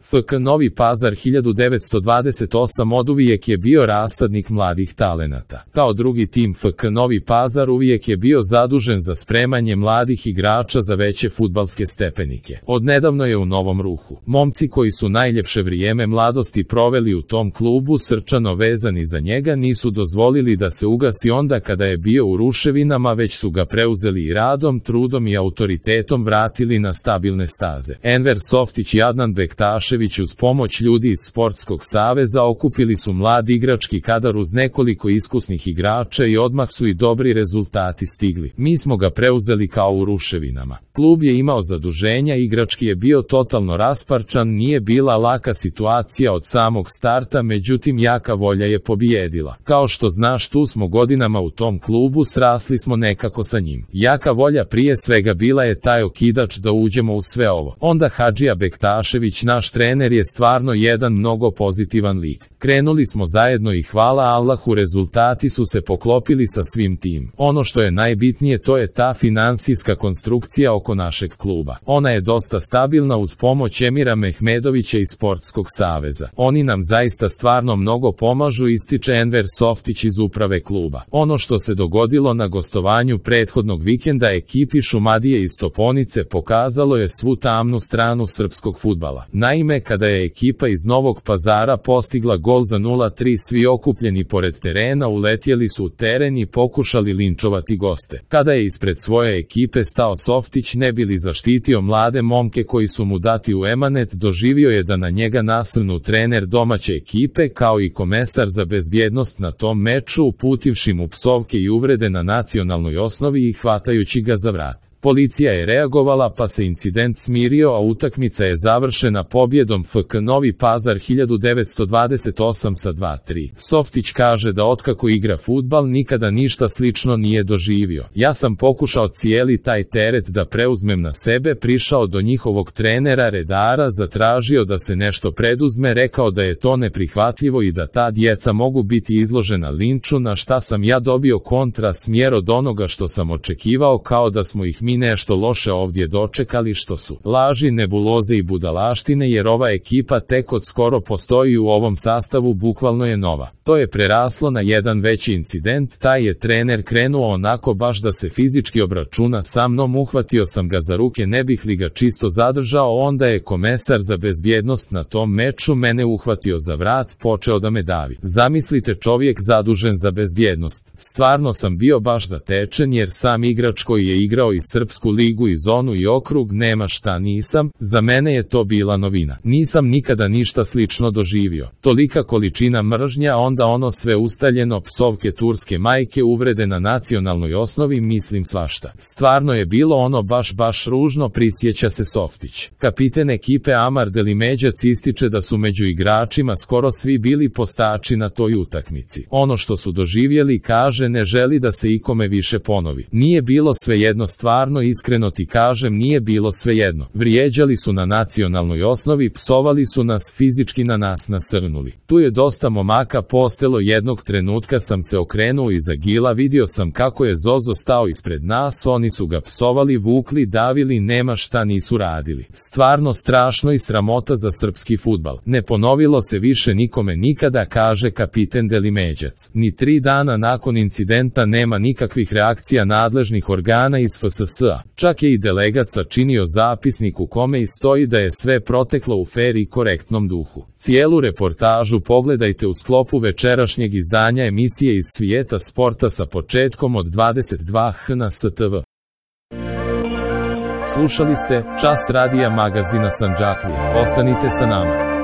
FK Novi Pazar 1928 oduvijek je bio rasadnik mladih talenata. Kao drugi tim FK Novi Pazar uvijek je bio zadužen za spremanje mladih igrača za veće fudbalske stepenike. Odnedavno je u novom ruhu. Momci koji su najljepše vrijeme mladosti proveli u tom klubu, srčano vezani za njega, nisu dozvolili da se ugasi onda kada je bio u ruševinama, već su ga preuzeli i radom, trudom i autoritetom vratili na stabilne staze. Enver Softić i Adnan Bektašević uz pomoć ljudi iz Sportskog saveza okupili su mlad igrački kadar uz nekoliko iskusnih igrača i odmah su i dobri rezultati stigli. Mi smo ga preuzeli kao u ruševinama. Klub je imao zaduženja, igrački je bio totalno rasparčan, nije bila laka situacija od samog starta, međutim jaka volja je pobijedila. Kao što znaš, tu smo godinama u tom klubu, srasli smo nekako sa njim. Jaka volja prije svega bila je taj okidač da uđemo u sve ovo. Onda Hadžija Bektašević, naš trener, je stvarno jedan mnogo pozitivan lik. Krenuli smo zajedno i hvala Allahu rezultati su se poklopili sa svim tim. Ono što je najbitnije, to je ta finansijska konstrukcija oko našeg kluba. Ona je dosta stabilna uz pomoć Emira Mehmedovića iz Sportskog saveza. Oni nam zaista stvarno mnogo pomažu, ističe Enver Softić iz uprave kluba. Ono što se dogodilo na gostovanju prethodnog vikenda ekipi Šumadije iz Toponice pokazalo je svu tamnu stranu srpskog fudbala. Naime, kada je ekipa iz Novog Pazara postigla gol za 0-3, svi okupljeni pored terena uletjeli su u teren i pokušali linčovati goste. Kada je ispred svoje ekipe stao Softić ne bi li zaštitio mlade momke koji su mu dati u emanet, doživio je da na njega nasrnu trener domaće ekipe kao i komesar za bezbjednost na tom meču, uputivši mu psovke i uvrede na nacionalnoj osnovi i hvatajući ga za vrat. Policija je reagovala pa se incident smirio, a utakmica je završena pobjedom FK Novi Pazar 1928 sa 2-3. Softić kaže da otkako igra fudbal nikada ništa slično nije doživio. Ja sam pokušao cijeli taj teret da preuzmem na sebe, prišao do njihovog trenera redara, zatražio da se nešto preduzme, rekao da je to neprihvatljivo i da ta djeca mogu biti izložena linču, na šta sam ja dobio kontra smjer od onoga što sam očekivao, kao da smo ih mi nešto loše ovdje dočekali, što su laži, nebuloze i budalaštine, jer ova ekipa tek od skoro postoji u ovom sastavu, bukvalno je nova. To je preraslo na jedan veći incident, taj je trener krenuo onako baš da se fizički obračuna sa mnom, uhvatio sam ga za ruke ne bih li ga čisto zadržao, onda je komesar za bezbjednost na tom meču mene uhvatio za vrat, počeo da me davi. Zamislite, čovjek zadužen za bezbjednost. Stvarno sam bio baš zatečen, jer sam igrač koji je igrao i Srpsku ligu i zonu i okrug, nema šta nisam, za mene je to bila novina. Nisam nikada ništa slično doživio. Tolika količina mržnja, onda ono sve ustaljeno, psovke turske majke, uvrede na nacionalnoj osnovi, mislim svašta. Stvarno je bilo ono baš ružno, prisjeća se Softić. Kapiten ekipe Amar Delimeđac ističe da su među igračima skoro svi bili postači na toj utakmici. Ono što su doživjeli, kaže, ne želi da se ikome više ponovi. Nije bilo svejedno, stvarno iskreno ti kažem, nije bilo svejedno. Vrijeđali su na nacionalnoj osnovi, psovali su nas, fizički na nas nasrnuli. Tu je dosta momaka postelo, jednog trenutka sam se okrenuo iza Gila, vidio sam kako je Zozo stao ispred nas, oni su ga psovali, vukli, davili, nema šta nisu radili. Stvarno strašno i sramota za srpski fudbal. Ne ponovilo se više nikome nikada, kaže kapiten Delimeđac. Ni 3 dana nakon incidenta nema nikakvih reakcija nadležnih organa iz FSS-a. Čak je i delegat sačinio zapisnik u kome i stoji da je sve proteklo u fer i korektnom duhu. Cijelu reportažu pogledajte u sklopu večerašnjeg izdanja emisije iz svijeta sporta sa početkom od 22h na STV. Slušali ste Čas radija magazina Sandžaklije. Ostanite sa nama.